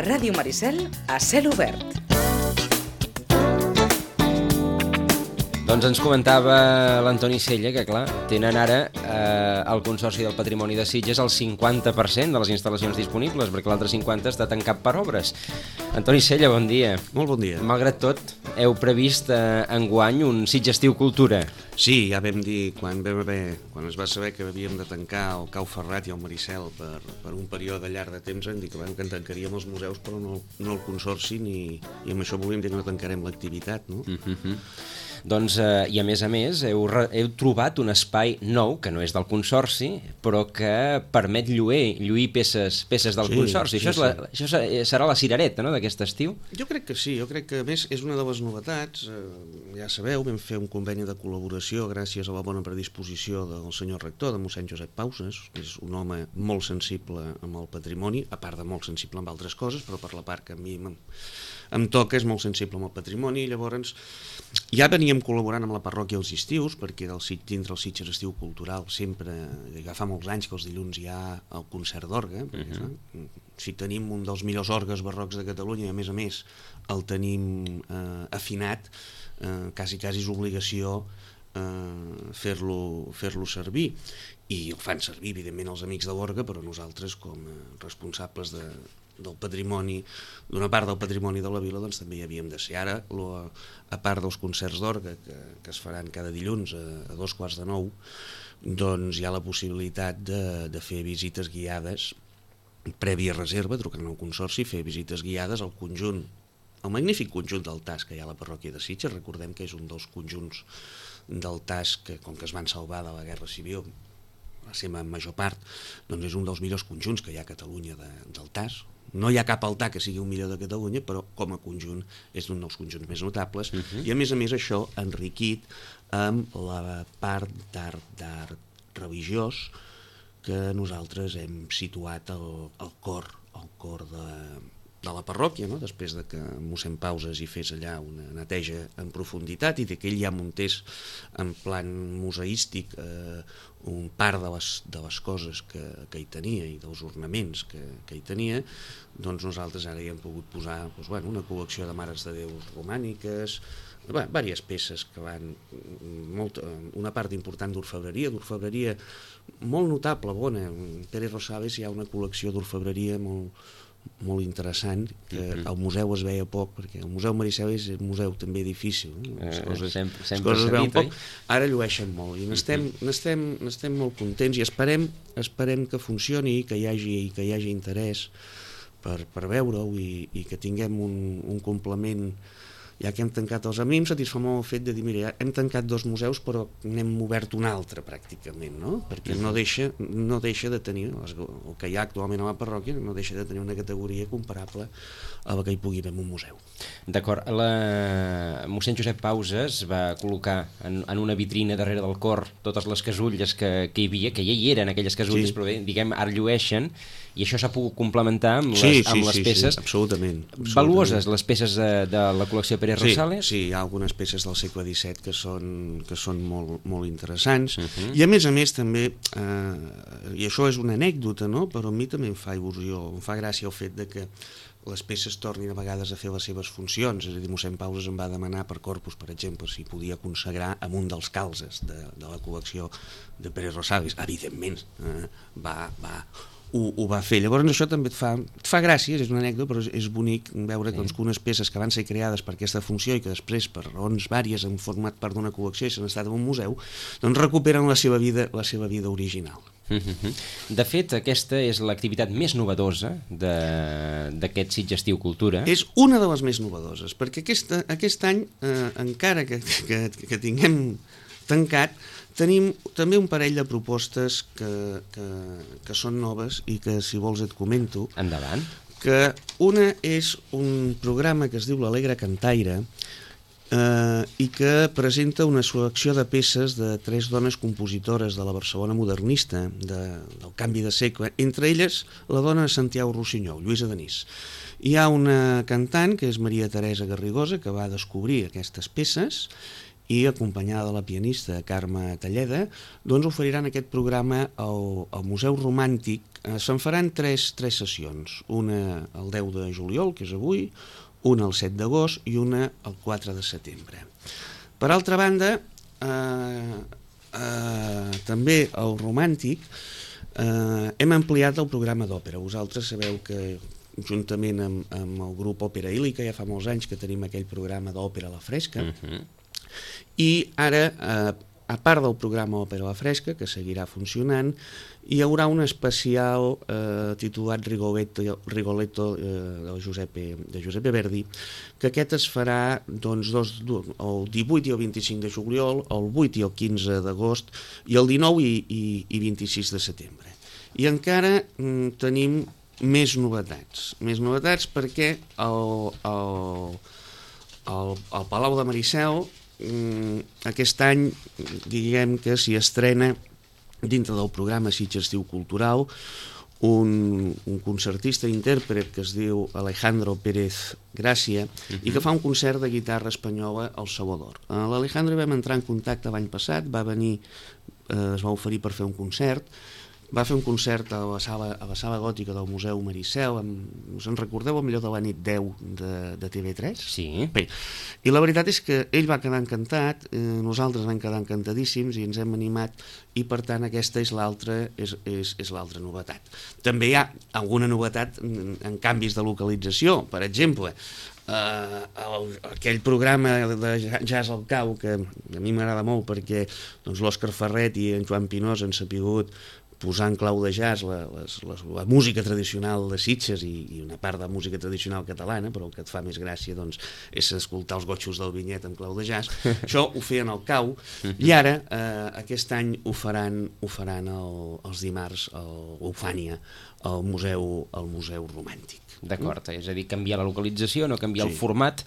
Ràdio Maricel a cel obert. Doncs ens comentava l'Antoni Sella que, clar, tenen ara el Consorci del Patrimoni de Sitges el 50% de les instal·lacions disponibles, perquè l'altre 50% està tancat per obres. Antoni Sella, bon dia. Molt bon dia. Malgrat tot, heu previst enguany un Sitges Estiu Cultura. Sí, ja vam dir, quan es va saber que havíem de tancar el Cau Ferrat i el Maricel per un període llarg de temps, vam dir que en tancaríem els museus, però no el Consorci, i amb això volíem dir que no tancarem l'activitat, no? Doncs, i a més, heu trobat un espai nou, que no és del Consorci, però que permet lluir peces del Consorci. Això serà la cirereta, no?, d'aquest estiu? Jo crec que sí, jo crec que a més és una de les novetats. Ja sabeu, vam fer un conveni de col·laboració gràcies a la bona predisposició del senyor rector, de mossèn Josep Pauses, que és un home molt sensible amb el patrimoni, a part de molt sensible amb altres coses, però per la part que a mi em toca és molt sensible amb el patrimoni, i llavors ja veníem col·laborant amb la parròquia els estius, perquè dintre el Sitges Estiu Cultural sempre, ja fa molts anys que els dilluns hi ha el concert d'orgue, si tenim un dels millors orgues barrocs de Catalunya, i a més el tenim afinat, quasi és obligació fer-lo servir, i el fan servir evidentment els amics de l'orgue, però nosaltres com a responsables del patrimoni, d'una part del patrimoni de la vila, doncs també hi havíem de ser. Ara, a part dels concerts d'orgue que es faran cada dilluns a 8:45, doncs hi ha la possibilitat de fer visites guiades prèvia reserva, trucant al Consorci, fer visites guiades al conjunt, el magnífic conjunt del Tas que hi ha a la parròquia de Sitges. Recordem que és un dels conjunts del Tas que, com que es van salvar de la Guerra Civil, la seva major part, doncs és un dels millors conjunts que hi ha a Catalunya del Tas. No hi ha cap altar que sigui un millor de Catalunya, però com a conjunt és un dels conjunts més notables, i a més això enriquit amb la part d'art religiós que nosaltres hem situat al cor de la parròquia, no? Després de que mossèn Pauses hi fes allà una neteja en profunditat i que ell ja muntés en plan museístic un part de les coses que hi tenia i dels ornaments que hi tenia, doncs nosaltres ara hi hem pogut posar una col·lecció de mares de Déu romàniques, diverses peces que van, una part important d'orfebreria molt notable, bona. En Pere Rosales hi ha una col·lecció d'orfebreria molt interessant, que al museu es veia poc, perquè el Museu Maricel és un museu també difícil, les coses es veuen poc, ara llueixen molt, i n'estem molt contents, i esperem que funcioni, que hi hagi interès per veure-ho, i que tinguem un complement. Ja que hem tancat els amics, satisfà molt el fet de dir, mira, hem tancat 2 museus, però n'hem obert un altre, pràcticament, no? Perquè no deixa de tenir, el que hi ha actualment a la parròquia, no deixa de tenir una categoria comparable a la que hi pugui haver en un museu. D'acord. Mossèn Josep Pauses va col·locar en una vitrina darrere del cor totes les casulles que hi havia, que ja hi eren aquelles casulles, però bé, diguem, ara llueixen, i això s'ha pogut complementar amb les peces. Sí, absolutament. Valuoses, les peces de la col·lecció Pere Rosales? Sí, hi ha algunes peces del segle XVII que són molt interessants, i a més també, i això és una anècdota, no? Però a mi també em fa il·lusió, em fa gràcia el fet de que les peces tornin a vegades a fer les seves funcions. És a dir, mossèn Pauses em va demanar per Corpus, per exemple, si podia consagrar amb un dels calzes de la col·lecció de Pere Rosales. Evidentment, ho va fer. Llavors això també et fa gràcia, és una anècdota, però és bonic veure que unes peces que van ser creades per aquesta funció i que després, per raons vàries, han format part d'una col·lecció i s'han estat en un museu, doncs recuperen la seva vida original. De fet, aquesta és l'activitat més novedosa d'aquest Sitges Estiu Cultura. És una de les més novedoses, perquè aquest any, encara que tinguem tancat, tenim també un parell de propostes que són noves i que, si vols, et comento. Endavant. Que una és un programa que es diu l'Alegre Cantaire, i que presenta una selecció de peces de 3 dones compositores de la Barcelona modernista, del canvi de segle, entre elles la dona de Santiago Rossinyol, Lluïsa Denis. Hi ha una cantant, que és Maria Teresa Garrigosa, que va descobrir aquestes peces, i acompanyada de la pianista Carme Talleda, doncs oferiran aquest programa al Museu Romàntic. Se'n faran tres sessions, una el 10 de juliol, que és avui, una el 7 d'agost i una el 4 de setembre. Per altra banda, també al Romàntic hem ampliat el programa d'òpera. Vosaltres sabeu que juntament amb el grup Òpera Ílica ja fa molts anys que tenim aquell programa d'òpera a la fresca, i ara, a part del programa Òpera a la fresca, que seguirà funcionant, hi haurà un especial titulat Rigoletto de Giuseppe Verdi, que aquest es farà doncs, el 18 i el 25 de juliol, el 8 i el 15 d'agost, i el 19 i 26 de setembre. I encara tenim més novetats perquè al Palau de Maricel aquest any diguem que s'hi estrena dintre del programa Sitges Estiu Cultural un concertista i intèrpret que es diu Alejandro Pérez Gràcia i que fa un concert de guitarra espanyola al Salvador. L'Alejandro vam entrar en contacte l'any passat, va venir, es va oferir per fer un concert. Va fer un concert a la sala gòtica del Museu Maricel, us en recordeu millor de la nit 10 de TV3? Sí. Bé, i la veritat és que ell va quedar encantat, nosaltres vam quedar encantadíssims i ens hem animat, i per tant aquesta és l'altra novetat. També hi ha alguna novetat en canvis de localització, per exemple, aquell programa de Jazz al Cau que a mi m'agrada molt perquè l'Òscar Ferret i en Joan Pinós han sapigut posar en clau de jazz la música tradicional de Sitges i una part de música tradicional catalana, però el que et fa més gràcia doncs, és escoltar els gotxos del Vinyet en clau de jazz. Això ho feien al Cau, i ara aquest any ho faran els dimarts a Eufània, al Museu Romàntic. D'acord, és a dir, canviar la localització, no canviar el format,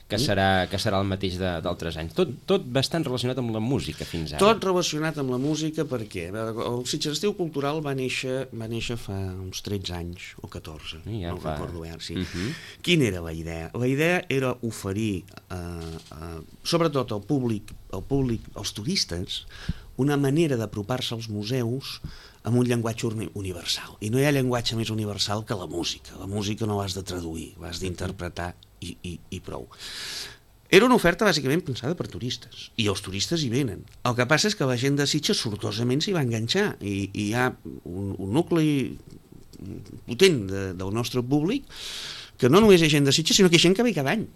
que serà el mateix d'altres anys. Tot bastant relacionat amb la música fins ara. Tot relacionat amb la música perquè el Sitges Estiu Cultural va néixer fa uns 13 anys o 14, no ho recordo bé. Sí. Quina era la idea? La idea era oferir, sobretot al públic, als turistes, una manera d'apropar-se als museus amb un llenguatge universal. I no hi ha llenguatge més universal que la música. La música no l'has de traduir, l'has d'interpretar i prou. Era una oferta bàsicament pensada per turistes, i els turistes hi venen. El que passa és que la gent de Sitges sortosament s'hi va enganxar, i hi ha un nucli potent del nostre públic que no només hi ha gent de Sitges, sinó que hi ha gent que ve cada any.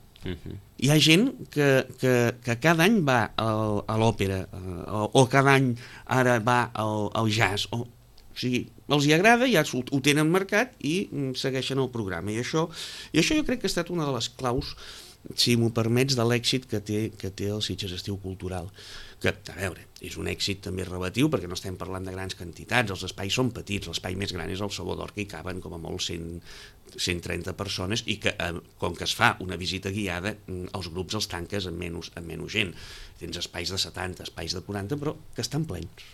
Hi ha gent que cada any va a l'òpera o cada any ara va al jazz, o sigui, els hi agrada, ja ho tenen marcat i segueixen el programa, i això jo crec que ha estat una de les claus, si m'ho permets, de l'èxit que té el Sitges Estiu Cultural, que, a veure, és un èxit també relatiu perquè no estem parlant de grans quantitats, els espais són petits, l'espai més gran és el Salvador, que hi caben com a molt 130 persones, i que com que es fa una visita guiada, els grups els tanques amb menys gent. Tens espais de 70, espais de 40, però que estan plens.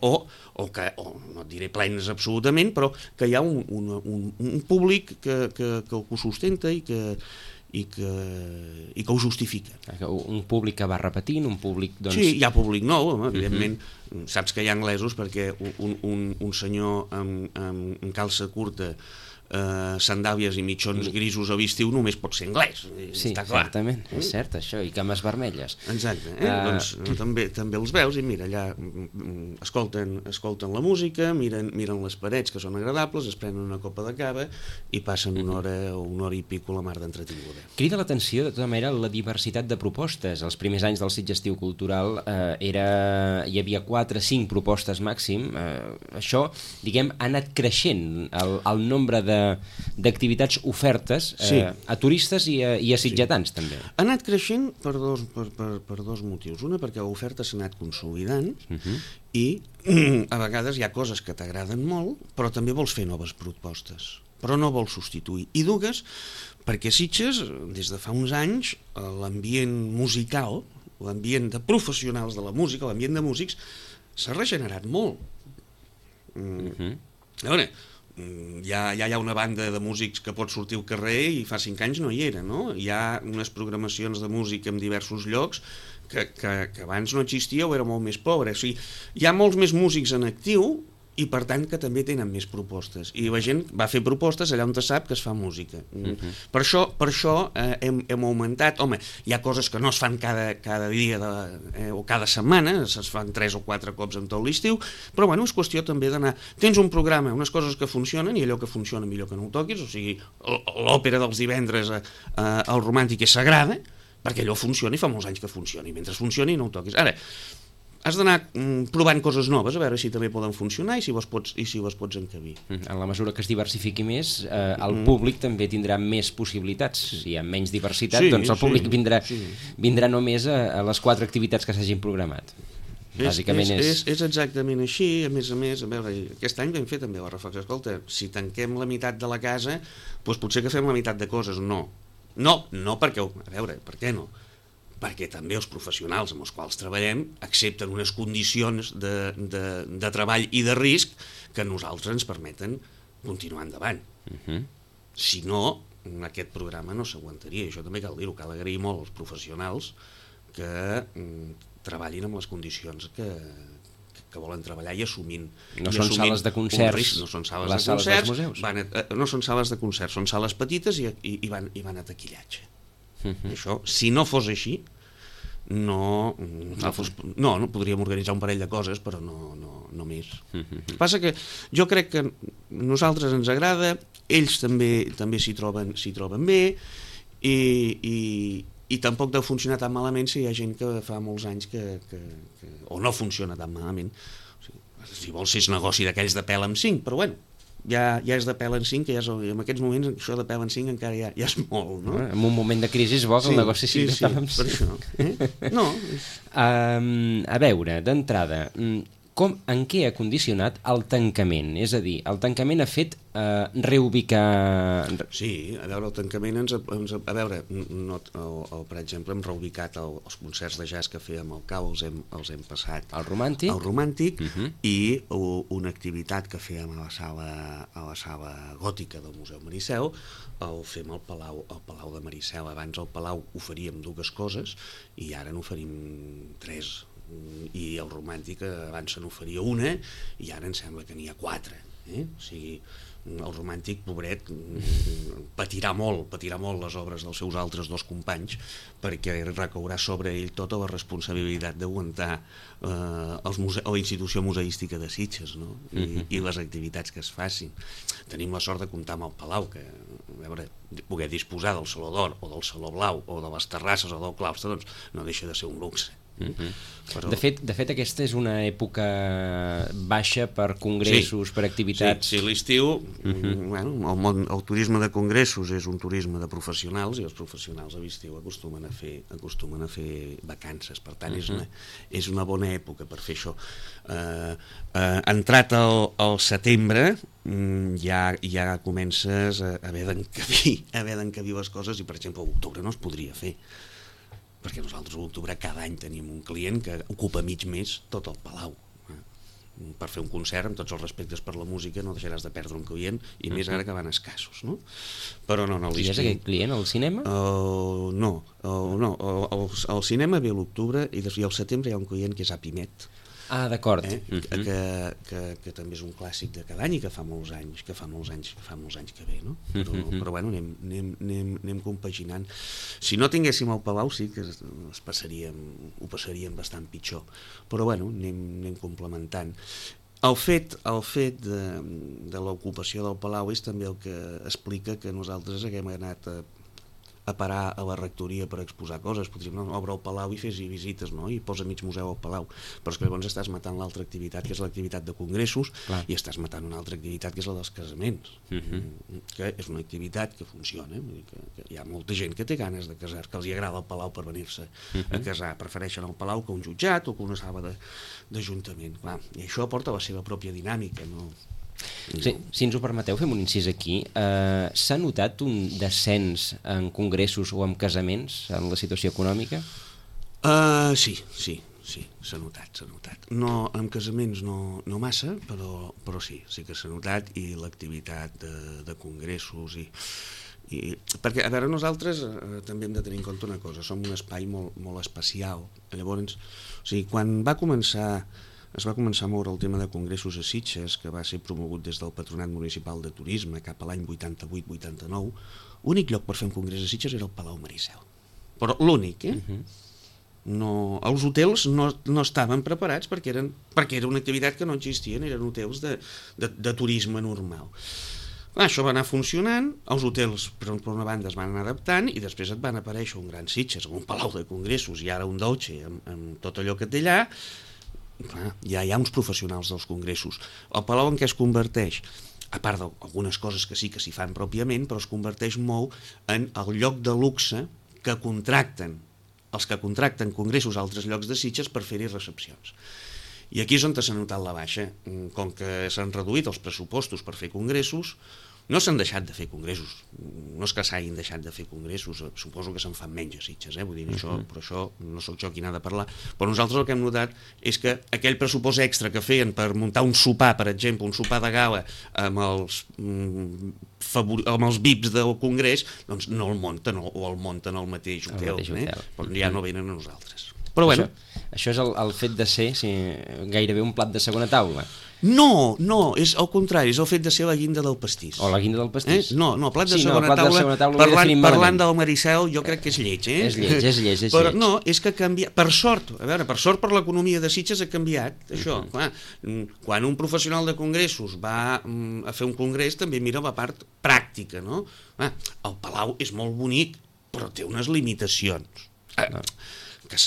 O no et diré plens absolutament, però que hi ha un públic que ho sustenta i que ho justifica. Un públic que va repetint, un públic... Doncs... Sí, hi ha públic nou, evidentment. Saps que hi ha anglesos perquè un senyor amb calça curta, sandàlies i mitjons grisos a l'estiu només pot ser anglès. Sí, certament, és cert això, i cames vermelles. Exacte, doncs també els veus i mira, allà escolten la música, miren les parets que són agradables, es prenen una copa de cava i passen una hora i pico la mar d'entretinguda. Crida l'atenció, de tota manera, la diversitat de propostes. Els primers anys del Sitges Estiu Cultural hi havia 4 o 5 propostes màxim. Això, diguem, ha anat creixent el nombre d'activitats ofertes a turistes i a sitgetans, també. Ha anat creixent per dos motius. Una, perquè l'oferta s'ha anat consolidant i a vegades hi ha coses que t'agraden molt, però també vols fer noves propostes, però no vols substituir. I dues, perquè Sitges, des de fa uns anys, l'ambient musical, l'ambient de professionals de la música, l'ambient de músics, s'ha regenerat molt. A veure, ja hi ha una banda de músics que pot sortir al carrer i fa 5 anys no hi era, no? Hi ha unes programacions de música en diversos llocs que abans no existia o era molt més pobre. O sigui, hi ha molts més músics en actiu i per tant que també tenen més propostes i la gent va fer propostes allà on sap que es fa música. Per això hem augmentat. Home, hi ha coses que no es fan cada dia o cada setmana, es fan 3 o 4 cops en tot l'estiu, però bueno, és qüestió també d'anar, tens un programa, unes coses que funcionen i allò que funciona millor que no ho toquis, o sigui, l'òpera dels divendres al Romàntic és sagrada perquè allò funciona i fa molts anys que funciona i mentre funcioni no ho toquis. Ara, has d'anar provant coses noves a veure si també poden funcionar i si les pots encabir. En la mesura que es diversifiqui més, el públic també tindrà més possibilitats. Si hi ha menys diversitat, doncs el públic vindrà només a les 4 activitats que s'hagin programat. Bàsicament és exactament així. A més, a veure, aquest any vam fer també la reflexió. Escolta, si tanquem la meitat de la casa, doncs potser que fem la meitat de coses. No perquè... A veure, per què no? Perquè també els professionals amb els quals treballem accepten unes condicions de treball i de risc que a nosaltres ens permeten continuar endavant. Si no, aquest programa no s'aguantaria. Això també cal dir-ho, cal agrair molt als professionals que treballin amb les condicions que volen treballar i assumint. No són sales de concerts, no són sales de concerts, no són sales de concerts, són sales petites i van a taquillatge. Això, si no fos així, no podríem organitzar un parell de coses, però no més. El que passa que jo crec que a nosaltres ens agrada, ells també s'hi troben bé i tampoc deu funcionar tan malament si hi ha gent que fa molts anys o no funciona tan malament. O sigui, si vols és negoci d'aquells de pèl amb 5, però bueno, ja és de pèl en 5, que en aquests moments això de pèl en 5 encara ja és molt, no? En un moment de crisi és bo que el negoci sigui de pèl en 5. Per això. No. A veure, d'entrada, en què ha condicionat el tancament? És a dir, el tancament ha fet reubicar... Sí, a veure, el tancament a veure, per exemple, hem reubicat els concerts de jazz que fèiem al Cau, els hem passat al Romàntic i una activitat que fèiem a la sala gòtica del Museu Maricel el fem al Palau de Maricel. Abans al Palau oferíem 2 coses i ara n'oferim 3, i el Romàntic abans se n'oferia 1 i ara em sembla que n'hi ha 4. O sigui, el Romàntic, pobret, patirà molt les obres dels seus altres 2 companys perquè recaurà sobre ell tota la responsabilitat d'aguantar la institució museística de Sitges, no? I les activitats que es facin. Tenim la sort de comptar amb el Palau, que a veure, poder disposar del Saló d'Or o del Saló Blau o de les terrasses o del claustre, doncs no deixa de ser un luxe. Però... De fet, aquesta és una època baixa per congressos, per activitats... Sí, l'estiu, el turisme de congressos és un turisme de professionals i els professionals a l'estiu acostumen a fer vacances, per tant és una bona època per fer això. Entrat al setembre ja comences a haver d'encabir les coses i per exemple a l'octubre no es podria fer, perquè nosaltres a l'octubre cada any tenim un client que ocupa mig mes tot el Palau. Per fer un concert, amb tots els respectes per la música, no deixaràs de perdre un client, i més ara que van escassos, no? Però no, Qui és aquest client, el cinema? No, el cinema ve a l'octubre i al setembre hi ha un client que és Apimet. Ah, d'acord. Que també és un clàssic de cada any i que fa molts anys que ve, no? Però bueno, anem compaginant. Si no tinguéssim el Palau sí que ho passaríem bastant pitjor, però bueno, anem complementant. El fet de l'ocupació del Palau és també el que explica que nosaltres haguem anat a parar a la rectoria per exposar coses. Podríem obre el Palau i fes-hi visites, no? I posa mig museu al Palau, però és que llavors estàs matant l'altra activitat, que és l'activitat de congressos. Clar. I estàs matant una altra activitat, que és la dels casaments, que és una activitat que funciona, que hi ha molta gent que té ganes de casar, que els hi agrada el Palau per venir-se a casar, prefereixen el Palau que un jutjat o que una sala d'ajuntament. Clar, i això aporta la seva pròpia dinàmica, no? Sí, si ens ho permeteu, fem un incís aquí. S'ha notat un descens en congressos o en casaments en la situació econòmica? Sí. s'ha notat, s'ha notat. No, en casaments no massa, però sí que s'ha notat, i l'activitat de congressos perquè, a veure, nosaltres també hem de tenir en compte una cosa, som un espai molt especial. Llavors, o sigui, quan es va començar a moure el tema de congressos a Sitges, que va ser promogut des del Patronat Municipal de Turisme cap a l'any 88-89, l'únic lloc per fer un congrés a Sitges era el Palau Maricel. Però l'únic, No, els hotels no estaven preparats perquè era una activitat que no existien, eren hotels de turisme normal. Això va anar funcionant, els hotels per una banda es van anar adaptant, i després et van aparèixer un gran Sitges, un palau de congressos, i ara un Dolce amb tot allò que té allà. Ja hi ha uns professionals dels congressos. El palau en què es converteix? A part d'algunes coses que sí que s'hi fan pròpiament, però es converteix molt en el lloc de luxe que contracten els que contracten congressos a altres llocs de Sitges per fer-hi recepcions. I aquí és on s'ha notat la baixa. Com que s'han reduït els pressupostos per fer congressos, no s'han deixat de fer congressos. No és que s'hagin deixat de fer congressos, suposo que se'n fan menys a Sitges, vull dir, però això no sóc jo qui n'ha de parlar. Però nosaltres el que hem notat és que aquell pressupost extra que feien per muntar un sopar, per exemple, un sopar de gala amb els VIPs del congrés, doncs no el munten, o el munten al mateix hotel, però ja no venen a nosaltres. Però bueno. Això és el fet de ser gairebé un plat de segona taula. No, és al contrari, és el fet de ser la guinda del pastís. O la guinda del pastís. No, plat de segona taula, parlant del Maricel, jo crec que és lleig, És lleig. Però no, és que ha canviat, per sort per l'economia de Sitges ha canviat, això. Quan un professional de congressos va a fer un congrés, també mira la part pràctica, no? El palau és molt bonic, però té unes limitacions. Que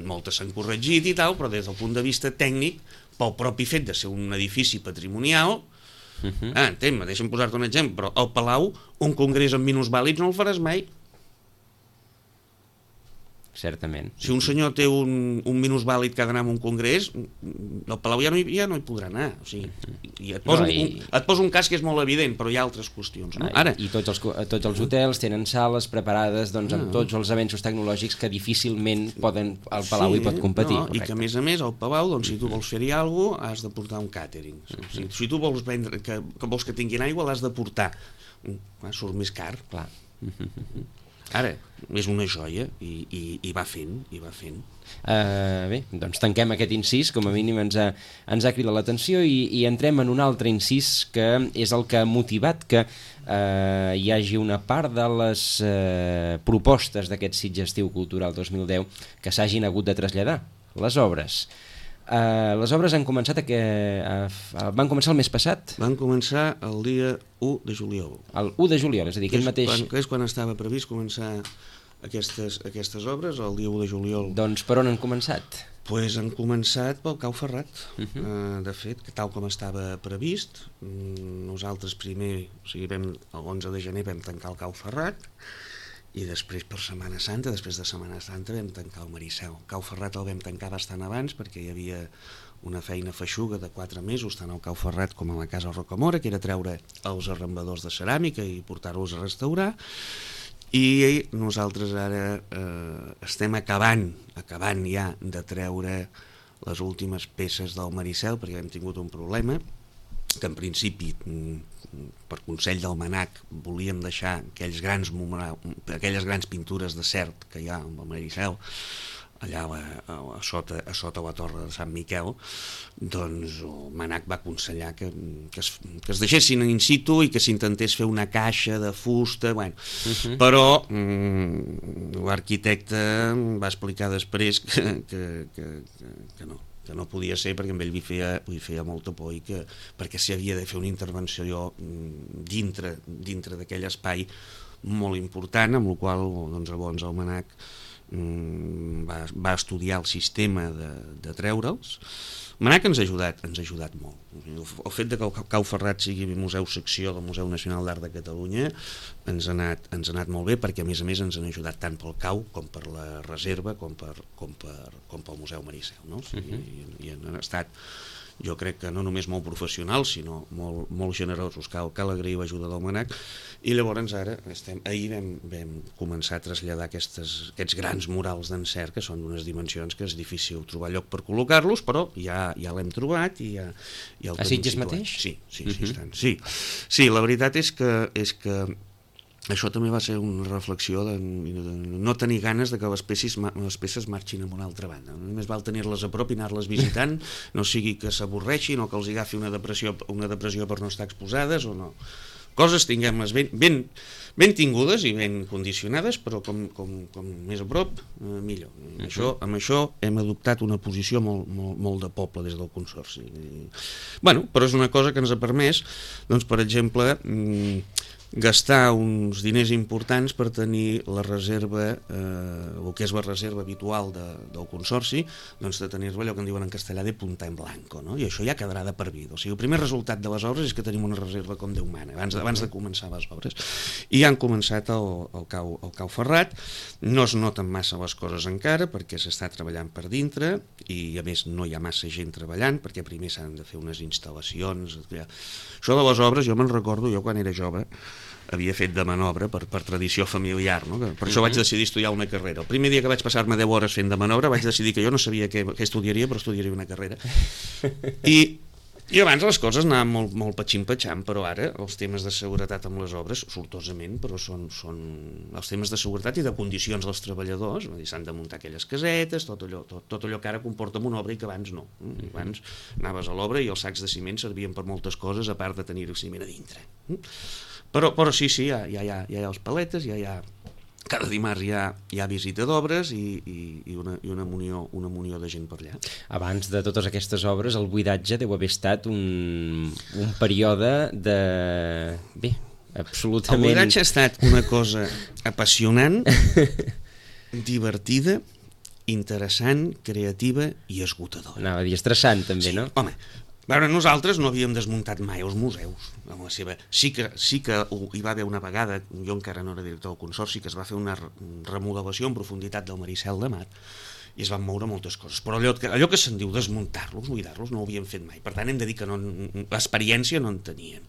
moltes s'han corregit i tal, però des del punt de vista tècnic, pel propi fet de ser un edifici patrimonial, deixa'm posar-te un exemple, però al Palau un congrés amb minusvàlids no el faràs mai. Certament. Si un senyor té un minusvàlid que ha d'anar a un congrés, al Palau ja no hi podrà anar. O sigui, et posa un cas que és molt evident, però hi ha altres qüestions. No? I tots els hotels tenen sales preparades amb tots els avenços tecnològics que difícilment el Palau hi pot competir. I que a més al Palau, si tu vols fer-hi alguna cosa, has de portar un càtering. Si tu vols que vols que tinguin aigua, l'has de portar. Surt més car. Clar. Ara, és una joia i va fent. Bé, doncs tanquem aquest incís, com a mínim ens ha cridat l'atenció, i entrem en un altre incís que és el que ha motivat que hi hagi una part de les propostes d'aquest Sitges Estiu Cultural 2010 que s'hagin hagut de traslladar, les obres. Les obres han començat van començar el mes passat? Van començar el dia 1 de juliol. El 1 de juliol, és a dir, aquest mateix... És quan estava previst començar aquestes obres, el dia 1 de juliol. Doncs per on han començat? Doncs han començat pel Cau Ferrat. De fet, tal com estava previst, nosaltres primer, l'11 de gener vam tancar el Cau Ferrat, i després per Setmana Santa, després de Setmana Santa vam tancar el Maricel. El Cau Ferrat el vam tancar bastant abans perquè hi havia una feina feixuga de 4 mesos tant al Cau Ferrat com a la Casa Rocamora, que era treure els arrambadors de ceràmica i portar-los a restaurar, i nosaltres ara estem acabant ja de treure les últimes peces del Maricel perquè hem tingut un problema que en principi per consell del MANAC volíem deixar aquelles grans pintures de cert que hi ha amb el Maricel allà a sota la torre de Sant Miquel. Doncs el MANAC va aconsellar que es deixessin in situ i que s'intentés fer una caixa de fusta, però l'arquitecte va explicar després que no podia ser perquè amb ell li feia molta por i perquè s'hi havia de fer una intervenció dintre d'aquell espai molt important, amb la qual llavors el MANAC va estudiar el sistema de treure'ls, Manac ens ha ajudat molt. El fet de que el Cau Ferrat sigui museu secció del Museu Nacional d'Art de Catalunya ens ha anat molt bé, perquè a més ens han ajudat tant pel Cau com per la reserva com pel Museu Maricel, no? I han estat, jo crec que no només molt professionals, sinó molt generosos. Cal agrair l'ajuda del Manac. I llavors ara ahir vam començar a traslladar aquests grans murals d'encert, que són d'unes dimensions que és difícil trobar lloc per col·locar-los, però ja l'hem trobat i ja el tenim Sitges situat. mateix? Sí, la veritat és que això també va ser una reflexió de no tenir ganes de que les peces marxin a una altra banda. Només val tenir-les a prop i anar-les visitant, no sigui que s'avorreixin o que els agafi una depressió per no estar exposades o no. Coses tinguem-les ben tingudes i ben condicionades, però com més a prop, millor. Amb això hem adoptat una posició molt de poble des del Consorci. Però és una cosa que ens ha permès, doncs, per exemple, gastar uns diners importants per tenir la reserva, el que és la reserva habitual del Consorci, doncs de tenir-la allò que en diuen en castellà de punta en blanco, no? I això ja quedarà de per vida. O sigui, el primer resultat de les obres és que tenim una reserva com Déu mana, abans de començar les obres. I han començat el Cau Ferrat, no es noten massa les coses encara, perquè s'està treballant per dintre, i a més no hi ha massa gent treballant, perquè primer s'han de fer unes instal·lacions. Això de les obres, jo me'n recordo, jo quan era jove, havia fet de manobra per tradició familiar, no? Per això vaig decidir estudiar una carrera. El primer dia que vaig passar-me 10 hores fent de manobra vaig decidir que jo no sabia què estudiaria, però estudiaria una carrera. I abans les coses anaven molt patxim-patxam, però ara els temes de seguretat amb les obres, sortosament, però són els temes de seguretat i de condicions dels treballadors, s'han de muntar aquelles casetes, tot allò que ara comporta una obra i que abans no. Abans anaves a l'obra i els sacs de ciment servien per moltes coses, a part de tenir el ciment a dintre. Però sí, ja hi ha els paletes, cada dimarts hi ha visita d'obres i una munió de gent per allà. Abans de totes aquestes obres, el buidatge deu haver estat un període de... Bé, absolutament... El buidatge ha estat una cosa apassionant, divertida, interessant, creativa i esgotadora. Anava a dir estressant, també, sí, no? Home, nosaltres no havíem desmuntat mai els museus. Sí que hi va haver una vegada, jo encara no era director del Consorci, que es va fer una remodelació en profunditat del Maricel de Mar i es van moure moltes coses, però allò que se'n diu desmuntar-los, buidar-los, no ho havíem fet mai. Per tant, hem de dir que l'experiència no en teníem.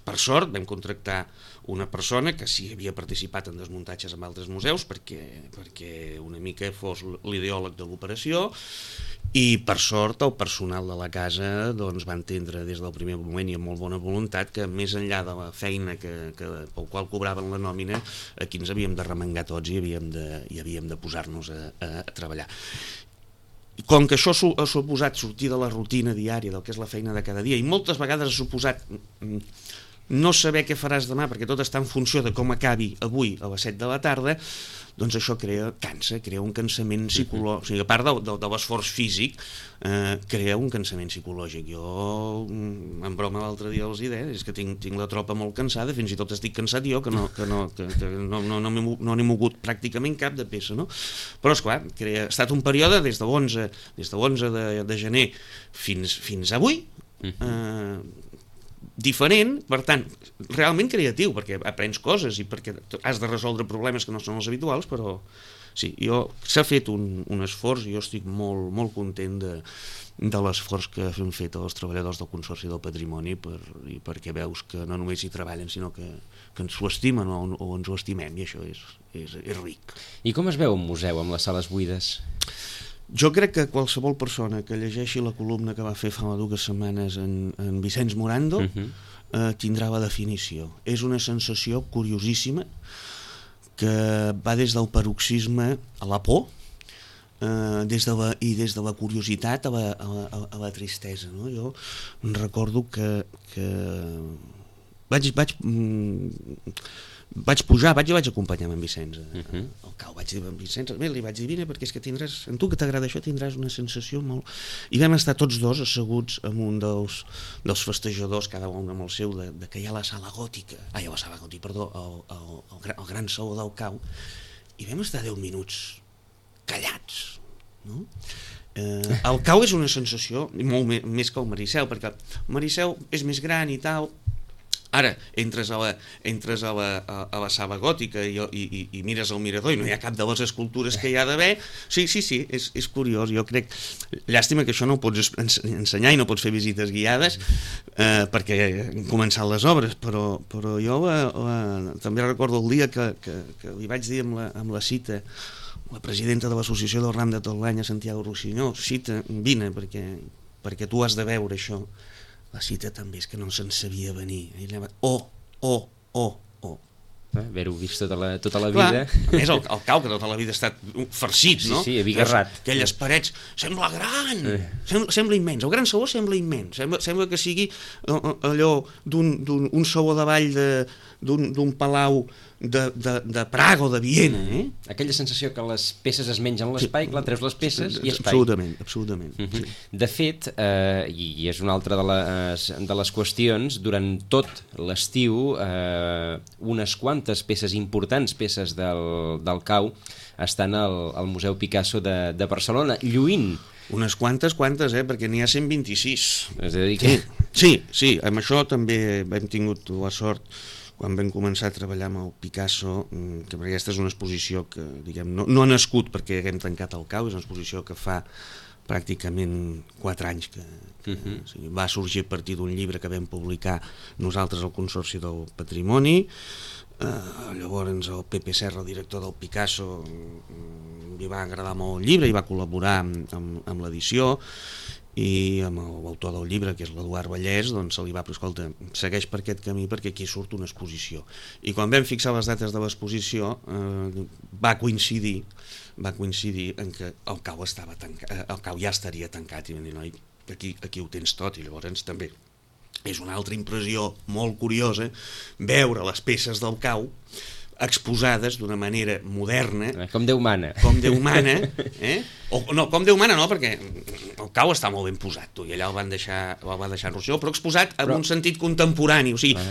Per sort vam contractar una persona que sí havia participat en desmuntatges en altres museus perquè una mica fos l'ideòleg de l'operació, i per sort el personal de la casa va entendre des del primer moment i amb molt bona voluntat que més enllà de la feina pel qual cobraven la nòmina, aquí ens havíem de remengar tots i havíem de posar-nos a treballar. Com que això ha suposat sortir de la rutina diària del que és la feina de cada dia, i moltes vegades ha suposat no saber què faràs demà perquè tot està en funció de com acabi avui a les 7 de la tarda, doncs això crea un cansament psicològic. O sigui, a part de l'esforç físic, crea un cansament psicològic. Jo, en broma l'altre dia els deia, és que tinc la tropa molt cansada, fins i tot estic cansat jo, que no n'he mogut pràcticament cap de peça, no? Però, esclar, ha estat un període des de l'11 de gener fins avui, diferent, per tant, realment creatiu, perquè aprens coses i perquè has de resoldre problemes que no són els habituals, però sí, s'ha fet un esforç i jo estic molt content de l'esforç que han fet els treballadors del Consorci del Patrimoni perquè veus que no només hi treballen, sinó que ens ho estimen o ens ho estimem, i això és ric. I com es veu un museu amb les sales buides? Jo crec que qualsevol persona que llegeixi la columna que va fer fa 2 setmanes en Vicenç Morando tindrà la definició. És una sensació curiosíssima que va des del paroxisme a la por des de la curiositat a la tristesa, no? Jo recordo que vaig pujar, vaig acompanyar en Vicenç al Cau, vaig dir a Vicenç, li vaig dir, vine, perquè és que tindràs, en tu que t'agrada això tindràs una sensació molt... I vam estar tots dos asseguts amb un dels festejadors, cada un amb el seu, de que hi ha la sala gòtica, el gran saló del Cau, i vam estar 10 minuts callats, no? El cau és una sensació molt més que el Maricel, perquè el Maricel és més gran i tal. Ara, entres a la sala gòtica i mires el mirador i no hi ha cap de les escultures que hi ha d'haver. Sí, és curiós. Jo crec, llàstima que això no ho pots ensenyar i no pots fer visites guiades perquè han començat les obres, però jo també recordo el dia que li vaig dir amb la Cita, la presidenta de l'associació del Ram de tot l'any, a Santiago Rossinyol: Cita, vine perquè tu has de veure això. La Cita també és que no se'n sabia venir. Haver-ho vist tota la vida. A més, el cau, que tota la vida ha estat farcit, no? Sí, abigarrat. Aquelles parets, sembla gran, sembla immens. El Gran Saló sembla immens. Sembla que sigui allò d'un saló de ball d'un palau de Praga o de Viena. Aquella sensació que les peces es mengen l'espai, clar, treus les peces i espai. Absolutament. Sí. De fet, i és una altra de les qüestions, durant tot l'estiu unes quantes peces importants, peces del cau, estan al Museu Picasso de Barcelona, lluint. Unes quantes, perquè n'hi ha 126. És a dir que... Sí, amb això també hem tingut la sort, quan vam començar a treballar amb el Picasso, que aquesta és una exposició que, diguem, no ha nascut perquè haguem tancat el cau, és una exposició que fa pràcticament 4 anys que o sigui, va sorgir a partir d'un llibre que vam publicar nosaltres al Consorci del Patrimoni. Llavors el Pepe Serra, el director del Picasso, li va agradar molt el llibre i va col·laborar amb l'edició, i amb l'autor del llibre, que és l'Eduard Vallès, doncs se li va dir: escolta, segueix per aquest camí perquè aquí surt una exposició. I quan vam fixar les dates de l'exposició va coincidir en que el cau estava tancat, el cau ja estaria tancat, i vam dir: noi, aquí ho tens tot. I llavors també és una altra impressió molt curiosa veure les peces del cau exposades d'una manera moderna, com Déu mana, com Déu mana, com Déu mana no, perquè el cau està molt ben posat, i allà el va deixar en Rosselló, però exposat en un sentit contemporani, o sigui,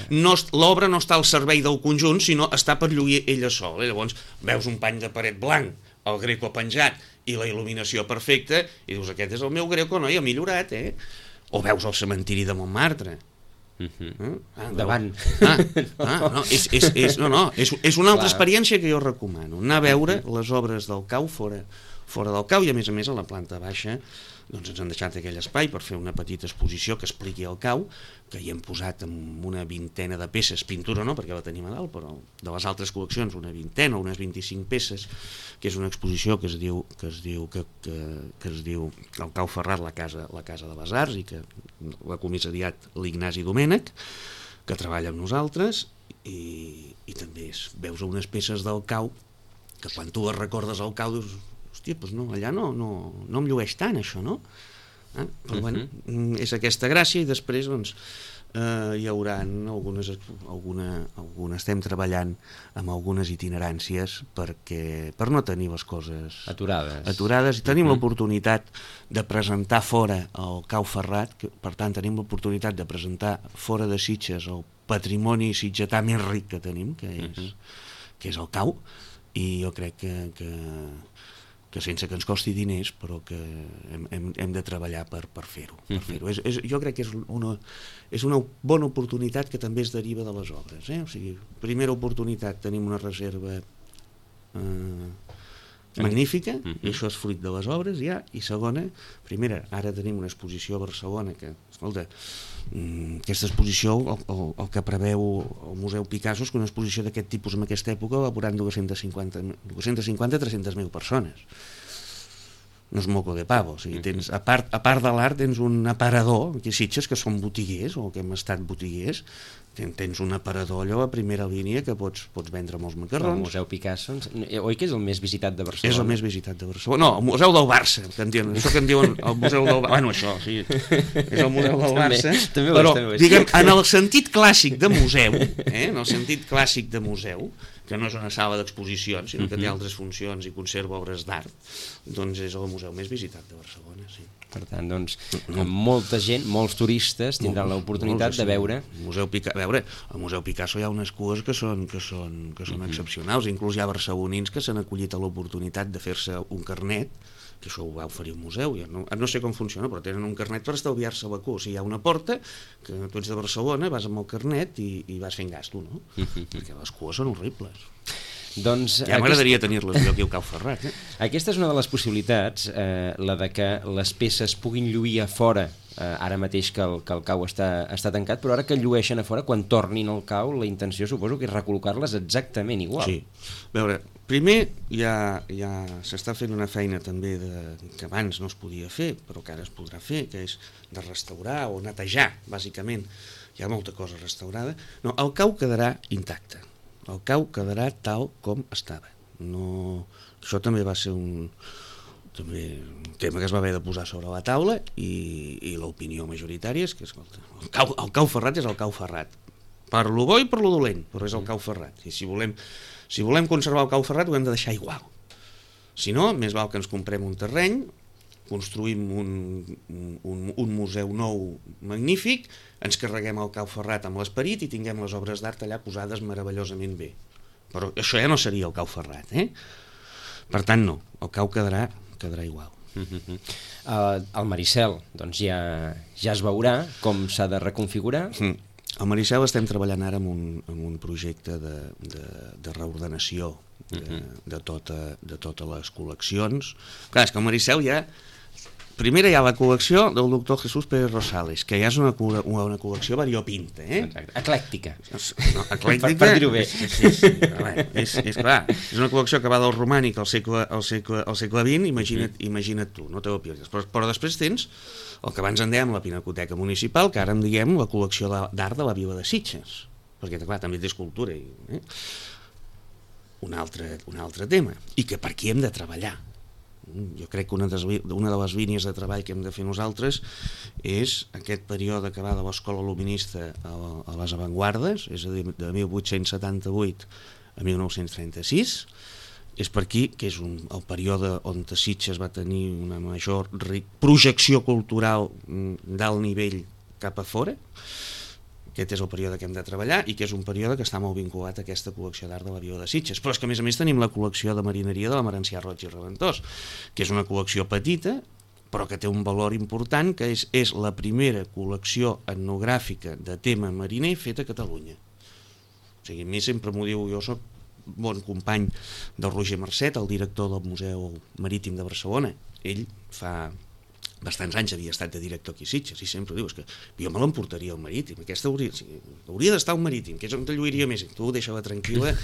l'obra no està al servei del conjunt, sinó està per lluir ella sol. Llavors veus un pany de paret blanc, el Greco penjat i la il·luminació perfecta, i dius: aquest és el meu Greco, no? I ha millorat, o veus el cementiri de Montmartre, davant. És una altra experiència que jo recomano, anar a veure les obres del cau fora del cau, i a més a la planta baixa doncs ens han deixat aquell espai per fer una petita exposició que expliqui el cau, que hi hem posat amb una vintena de peces, pintura no, perquè la tenim a dalt, però de les altres col·leccions una vintena o unes 25 peces, que és una exposició que es diu El cau ferrat, la casa de les arts, i que l'ha comissariat l'Ignasi Domènech, que treballa amb nosaltres, i també veus unes peces del cau que quan tu les recordes al cau dius: hòstia, doncs no, allà no em llueix tant això, no? Però bueno, és aquesta gràcia, i després doncs hi haurà estem treballant amb algunes itineràncies per no tenir les coses aturades, i tenim l'oportunitat de presentar fora el cau ferrat, per tant tenim l'oportunitat de presentar fora de Sitges el patrimoni sitgetà més ric que tenim, que és el cau, i jo crec que sense que ens costi diners, però que hem de treballar per fer-ho. Jo crec que és una bona oportunitat que també es deriva de les obres. O sigui, primera oportunitat, tenim una reserva magnífica, i això és fruit de les obres ja, i segona, primera, ara tenim una exposició a Barcelona que, escolta, aquesta exposició, el que preveu el Museu Picasso és que una exposició d'aquest tipus en aquesta època va veurant 250-300.000 persones. No és moco de pavo, o sigui, a part de l'art tens un aparador, aquí a Sitges, que som botiguers, o que hem estat botiguers, tens un aparador allò a primera línia que pots vendre molts macarrons. El Museu Picasso, oi que és el més visitat de Barcelona? És el més visitat de Barcelona. No, el Museu del Barça, això que en diuen el Museu del Barça. Bueno, això, sí, és el Museu del Barça. Però, diguem, en el sentit clàssic de museu, en el sentit clàssic de museu, que no és una sala d'exposicions, sinó que té altres funcions i conserva obres d'art, doncs és el museu més visitat de Barcelona, sí. Per tant, doncs, molta gent, molts turistes tindran l'oportunitat de veure... El Museu Picasso hi ha unes cues que són excepcionals, inclús hi ha barcelonins que s'han acollit a l'oportunitat de fer-se un carnet, que això ho va oferir el museu, no sé com funciona, però tenen un carnet per estalviar-se la cua. O sigui, hi ha una porta, que tu ets de Barcelona, vas amb el carnet i vas fent gasto, no? Perquè les cues són horribles. Doncs ja m'agradaria tenir-les jo aquí al Cau Ferrat. Aquesta és una de les possibilitats, la de que les peces puguin lluir a fora, ara mateix que el cau està tancat, però ara que llueixen a fora, quan tornin al cau, la intenció suposo que és recol·locar-les exactament igual. Sí. A veure, primer ja s'està fent una feina també que abans no es podia fer, però que ara es podrà fer, que és de restaurar o netejar, bàsicament. Hi ha molta cosa restaurada. No, el cau quedarà intacte. El cau quedarà tal com estava. Això també va ser un tema que es va haver de posar sobre la taula i l'opinió majoritària és que el Cau Ferrat és el Cau Ferrat. Per lo bo i per lo dolent, però és el Cau Ferrat. I si volem conservar el Cau Ferrat ho hem de deixar igual. Si no, més val que ens comprem un terreny, construïm un museu nou magnífic, ens carreguem el Cau Ferrat amb l'esperit i tinguem les obres d'art allà posades meravellosament bé. Però això ja no seria el Cau Ferrat, Per tant, no, el cau quedarà igual. El Maricel, doncs ja es veurà com s'ha de reconfigurar. Al Maricel estem treballant ara en un projecte de reordenació de totes les col·leccions. Clar, és que al Maricel primera hi ha la col·lecció del doctor Jesús Pérez Rosales, que ja és una col·lecció variopinta. Exacte. Eclèctica. No, eclèctica. Per dir-ho bé. Sí. És clar, és una col·lecció que va del romànic al segle XX, imagina't tu, no te ho pierdes. Però després tens el que abans en dèiem la Pinacoteca Municipal, que ara en diguem la col·lecció d'art de la Vila de Sitges, perquè clar, també té escultura. Un altre tema, i que per aquí hem de treballar. Jo crec que una de les línies de treball que hem de fer nosaltres és aquest període que va de l'escola luminista a les avantguardes, és a dir, de 1878 a 1936, és per aquí que és el període on Sitges va tenir una major projecció cultural d'alt nivell cap a fora. Aquest és el període que hem de treballar i que és un període que està molt vinculat a aquesta col·lecció d'art de la Vila de Sitges. Però és que a més tenim la col·lecció de marineria de la Merencià Roig i Reventós, que és una col·lecció petita però que té un valor important, que és la primera col·lecció etnogràfica de tema mariner feta a Catalunya. O sigui, a mi sempre m'ho diu, jo soc bon company del Roger Marcet, el director del Museu Marítim de Barcelona. Ell fa bastants anys havia estat de director aquí a Sitges i sempre diu, és que jo me l'emportaria al Marítim, aquesta hauria d'estar al Marítim, que és on te lluiria més, tu deixa-la tranquil·la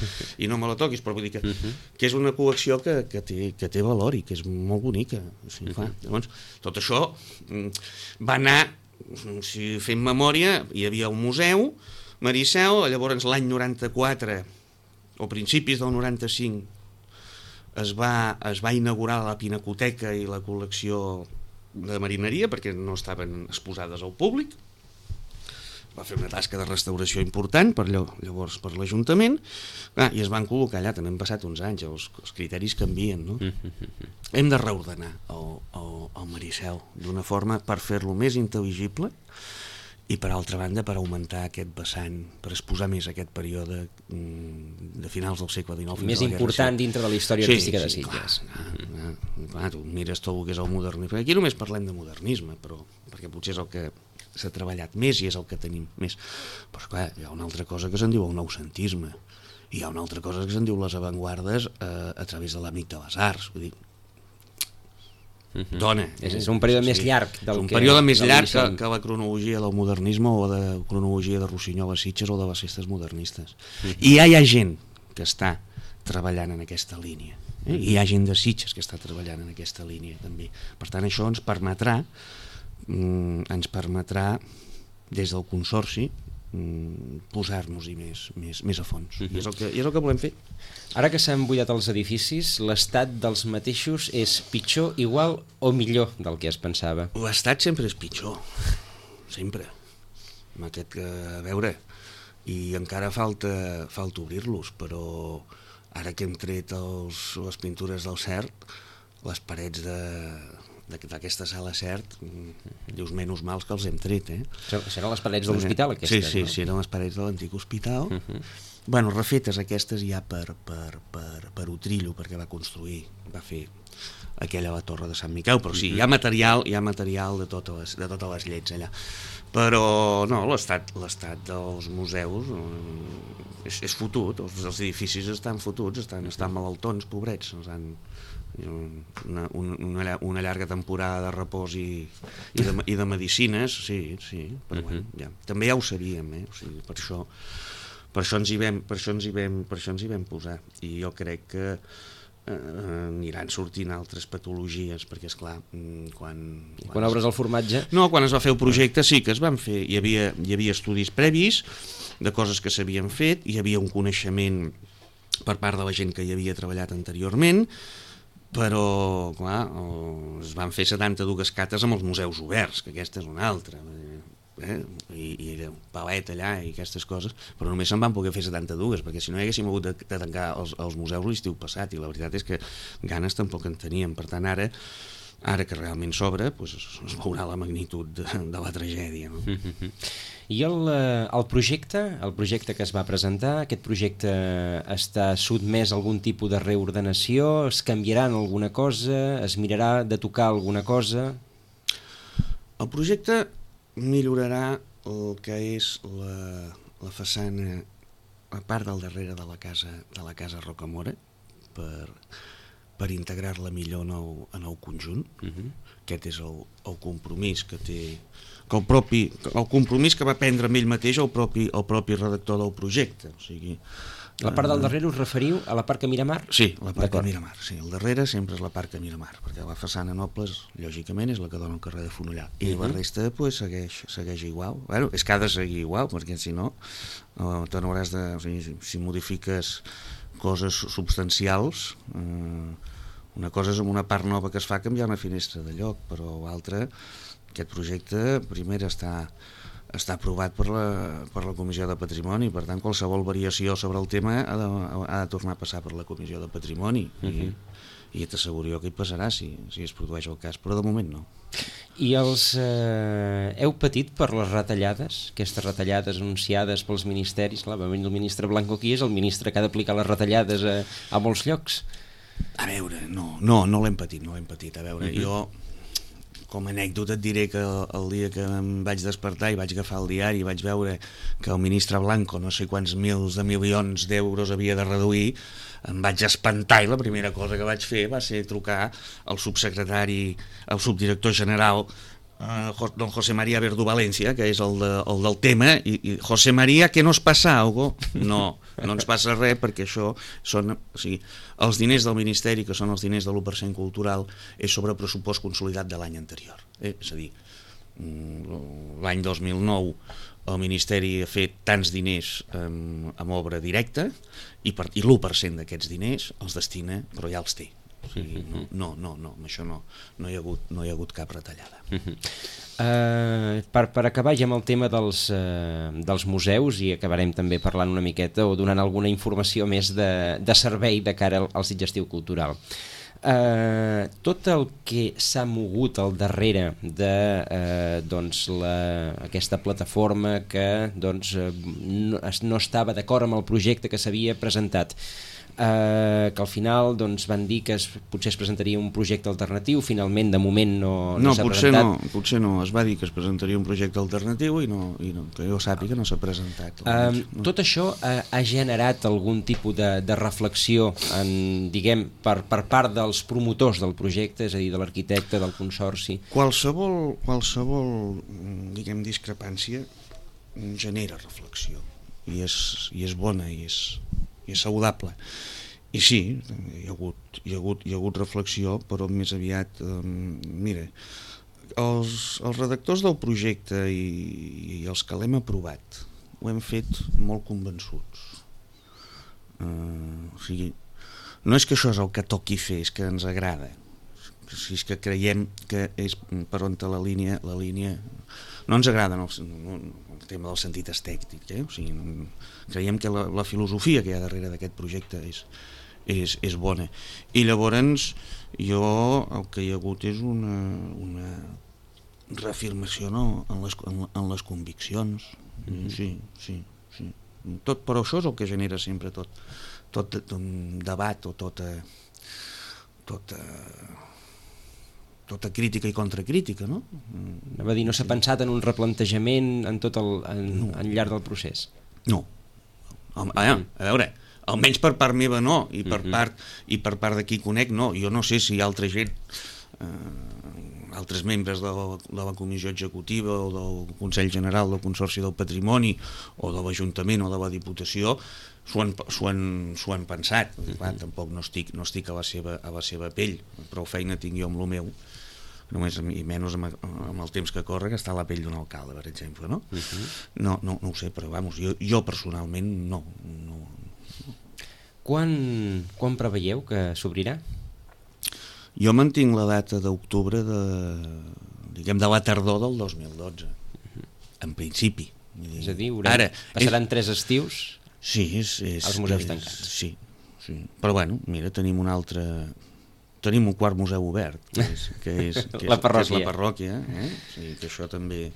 i no me la toquis, però vull dir que és una col·lecció que té valor i que és molt bonica. Llavors, tot això va anar, si fem memòria, hi havia un museu Maricel, llavors l'any 94 o principis del 95 es va inaugurar la Pinacoteca i la col·lecció de marineria perquè no estaven exposades al públic. Va fer una tasca de restauració important llavors per l'Ajuntament i es van col·locar allà. També han passat uns anys, els criteris canvien, no? Hem de reordenar el Maricel d'una forma per fer-lo més intel·ligible i per altra banda per augmentar aquest vessant, per exposar més aquest període de finals del segle XIX. Més important dintre de la història artística de Sitges. Clar, tu mires tot el que és el modernisme. Aquí només parlem de modernisme, perquè potser és el que s'ha treballat més i és el que tenim més. Però clar, hi ha una altra cosa que se'n diu el noucentisme, i hi ha una altra cosa que se'n diu les avantguardes a través de l'àmbit de les arts. Vull dir, dona. És un període més llarg del que... És un període més llarg que la cronologia del modernisme o de cronologia de Rossinyol a Sitges o de les festes modernistes. I ja hi ha gent que està treballant en aquesta línia. I hi ha gent de Sitges que està treballant en aquesta línia també. Per tant, això ens permetrà des del Consorci posar-nos-hi més a fons. I és el que volem fer. Ara que s'han buidat els edificis, l'estat dels mateixos és pitjor, igual o millor del que es pensava? L'estat sempre és pitjor, sempre. A veure, i encara falta obrir-los, però ara que hem tret les pintures del CERT, les parets d'aquesta sala CERT, dius menys mals que els hem tret, Seran les parets de l'hospital, aquestes, sí, no? Sí, eren les parets de l'antic hospital. Bueno, refetes aquestes ja per Utrillo, perquè va fer aquella la torre de Sant Miquel, però sí, hi ha material de totes les llets allà. Però no, l'estat dels museus és fotut, els edificis estan fotuts, estan malaltons, pobrets, una llarga temporada de repòs i de medicines, sí, però bueno, ja. També ja ho sabíem, o sigui, per això ens hi vam posar, i jo crec que aniran sortint altres patologies, perquè esclar, quan obres el formatge... No, quan es va fer el projecte sí que es van fer, hi havia estudis previs de coses que s'havien fet, hi havia un coneixement per part de la gent que hi havia treballat anteriorment, però clar, es van fer 72 cates amb els museus oberts, que aquesta és una altra, i palet allà i aquestes coses, però només se'n van poder fer 72, perquè si no haguéssim hagut de tancar els museus l'estiu passat, i la veritat és que ganes tampoc en teníem. Per tant, ara que realment s'obre, es veurà la magnitud de la tragèdia, no? I el projecte que es va presentar, aquest projecte està sotmès a algun tipus de reordenació? Es canviarà en alguna cosa? Es mirarà de tocar alguna cosa? El projecte millorarà el que és la façana, a part del darrere de la casa Rocamora, per integrar-la millor en el conjunt. Aquest és el compromís que té, el compromís que va prendre amb ell mateix el propi redactor del projecte. O sigui, la part del darrere us referiu a la part que mira mar? Sí, la part que mira mar, sí. El darrere sempre és la part que mira mar, perquè la façana Nobles, lògicament, és la que dona al carrer de Fonollar, i la resta segueix igual. Bueno, és que ha de seguir igual, perquè si no te n'hauràs de... O sigui, si modifiques coses substancials, una cosa és amb una part nova que es fa canviar una finestra de lloc, però l'altra, aquest projecte primer està aprovat per la Comissió de Patrimoni, per tant qualsevol variació sobre el tema ha de tornar a passar per la Comissió de Patrimoni, i t'asseguro que hi passarà si es produeix el cas, però de moment no. I heu patit per les retallades, aquestes retallades anunciades pels ministeris? Clar, va venir el ministre Blanco aquí, és el ministre que ha d'aplicar les retallades a molts llocs. A veure, no l'hem patit, a veure, jo com a anècdota et diré que el dia que em vaig despertar i vaig agafar el diari i vaig veure que el ministre Blanco no sé quants mils de milions d'euros havia de reduir, em vaig espantar, i la primera cosa que vaig fer va ser trucar al subsecretari, al subdirector general, don José María Verdú Valencia, que és el del tema, i José María, ¿qué nos pasa algo? No ens passa res, perquè això són, o sigui, els diners del Ministeri, que són els diners de l'1% cultural, és sobre pressupost consolidat de l'any anterior. És a dir, l'any 2009 el Ministeri ha fet tants diners amb obra directa, i l'1% d'aquests diners els destina, però ja els té. O sigui, no, amb això no hi ha hagut cap retallada. Per acabar ja amb el tema dels museus, i acabarem també parlant una miqueta o donant alguna informació més de servei de cara al Sitges Estiu Cultural. Tot el que s'ha mogut al darrere d'aquesta plataforma que no estava d'acord amb el projecte que s'havia presentat, que al final van dir que potser es presentaria un projecte alternatiu, finalment de moment no s'ha presentat. Potser no, es va dir que es presentaria un projecte alternatiu i que jo sàpiga no s'ha presentat. Tot això ha generat algun tipus de reflexió diguem, per part dels promotors del projecte, és a dir, de l'arquitecte, del consorci? Qualsevol diguem, discrepància genera reflexió, i és bona, i és saludable. I sí, hi ha hagut reflexió, però més aviat, mira, els redactors del projecte i els que l'hem aprovat ho hem fet molt convençuts. O sigui, no és que això és el que toqui fer, és que ens agrada. si és que creiem que és per on la línia no ens agrada el tema del sentit estètic, o sigui, creiem que la filosofia que hi ha darrere d'aquest projecte és bona, i llavors jo el que hi ha hagut és una reafirmació, no? en les conviccions. Sí. Tot, però això és el que genera sempre tot un debat o tota crítica i contracrítica, no? Anava a dir, no s'ha pensat en un replantejament al llarg del procés? No. A veure, almenys per part meva no, i per part de qui conec no. Jo no sé si altra gent, altres membres de la comissió executiva o del Consell General del Consorci del Patrimoni o de l'Ajuntament o de la Diputació s'ho han pensat. Clar, tampoc no estic a la seva pell, prou feina tinc jo amb el meu, només i menys amb el temps que corre, que està a la pell d'un alcalde, per exemple, no? No ho sé, però vamos, jo personalment no. Quan preveieu que s'obrirà? Jo mantinc la data d'octubre de la tardor del 2012, en principi. És a dir, passaran 3 estius als museus tancats. Sí. Però bueno, mira, tenim un quart museu obert, que és la parròquia, o sigui que això també...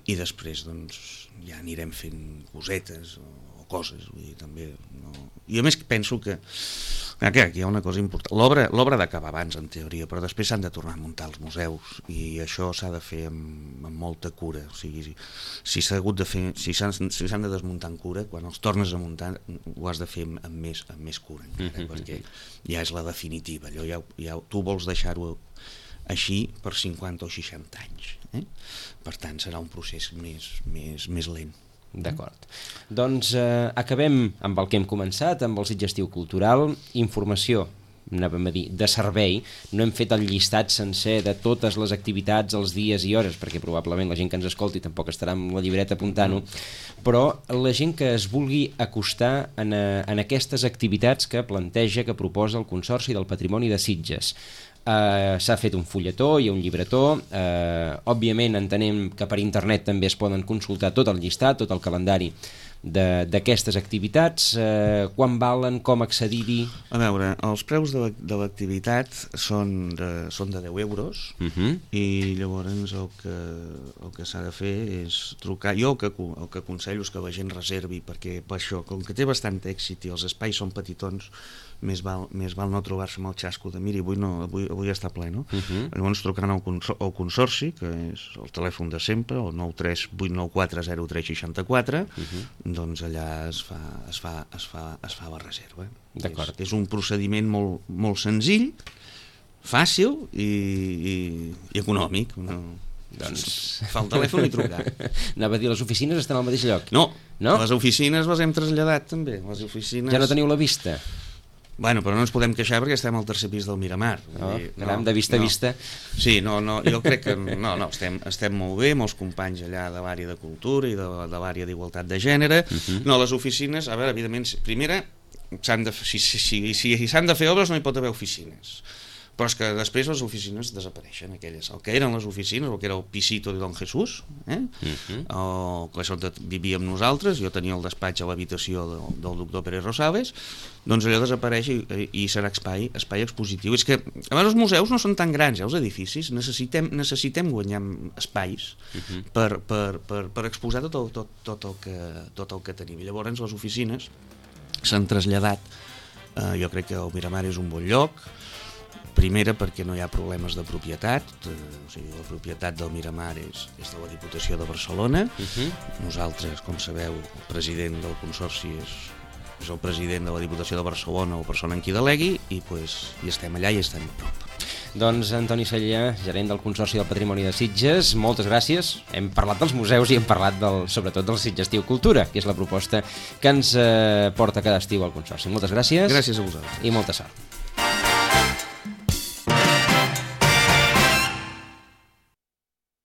I després doncs ja anirem fent cosetes o coses, vull dir, també no... I a més penso que aquí hi ha una cosa important, l'obra d'acabar abans en teoria, però després s'han de tornar a muntar els museus i això s'ha de fer amb molta cura, o sigui, si s'han de desmuntar amb cura, quan els tornes a muntar ho has de fer amb més cura encara, perquè ja és la definitiva, allò ja tu vols deixar-ho així per 50 o 60 anys, per tant serà un procés més lent. D'acord. Doncs acabem amb el que hem començat, amb el Sitges Estiu Cultural, informació, anàvem a dir, de servei. No hem fet el llistat sencer de totes les activitats, els dies i hores, perquè probablement la gent que ens escolti tampoc estarà amb la llibreta apuntant-ho, però la gent que es vulgui acostar en aquestes activitats que planteja, que proposa el Consorci del Patrimoni de Sitges. S'ha fet un fulletó, hi ha un llibretó, òbviament entenem que per internet també es poden consultar tot el llistat, tot el calendari d'aquestes activitats, quan valen, com accedir-hi? A veure, els preus de l'activitat són de 10 euros i llavors el que s'ha de fer és trucar. Jo el que aconsello és que la gent reservi, perquè per això, com que té bastant èxit i els espais són petitons, més val no trobar-se amb el xasco de miri, avui està ple, no? Llavors trucant al Consorci, que és el telèfon de sempre, el 93 894 0364, doncs allà es fa la reserva. D'acord. És un procediment molt senzill, fàcil i econòmic. Doncs fa el telèfon i trucar. Anava a dir, les oficines estan al mateix lloc? No? Les oficines les hem traslladat també. Ja no teniu la vista? Bueno, però no ens podem queixar perquè estem al tercer pis del Miramar. Caram, de vista a vista. Sí, jo crec que estem molt bé, molts companys allà de l'àrea de cultura i de l'àrea d'igualtat de gènere. No, les oficines, a veure, evidentment, primera, si s'han de fer obres no hi pot haver oficines. Però és que després les oficines desapareixen, aquelles. El que eren les oficines, el que era el pisito de Don Jesús, o que és on vivíem nosaltres, jo tenia el despatx a l'habitació del doctor Pérez Rosales, doncs allò desapareix i serà espai expositiu. És que, a més, els museus no són tan grans, els edificis, necessitem guanyar espais per exposar tot el que tenim. I llavors les oficines s'han traslladat, jo crec que el Miramar és un bon lloc. Primera, perquè no hi ha problemes de propietat, o sigui, la propietat del Miramar és de la Diputació de Barcelona. Nosaltres, com sabeu, el president del Consorci és el president de la Diputació de Barcelona o persona en qui delegui, i estem allà i estem a prop. Doncs Antoni Cellà, gerent del Consorci del Patrimoni de Sitges, moltes gràcies. Hem parlat dels museus i hem parlat sobretot del Sitges Estiu Cultura, que és la proposta que ens porta cada estiu al Consorci. Moltes gràcies. Gràcies a vosaltres. I molta sort.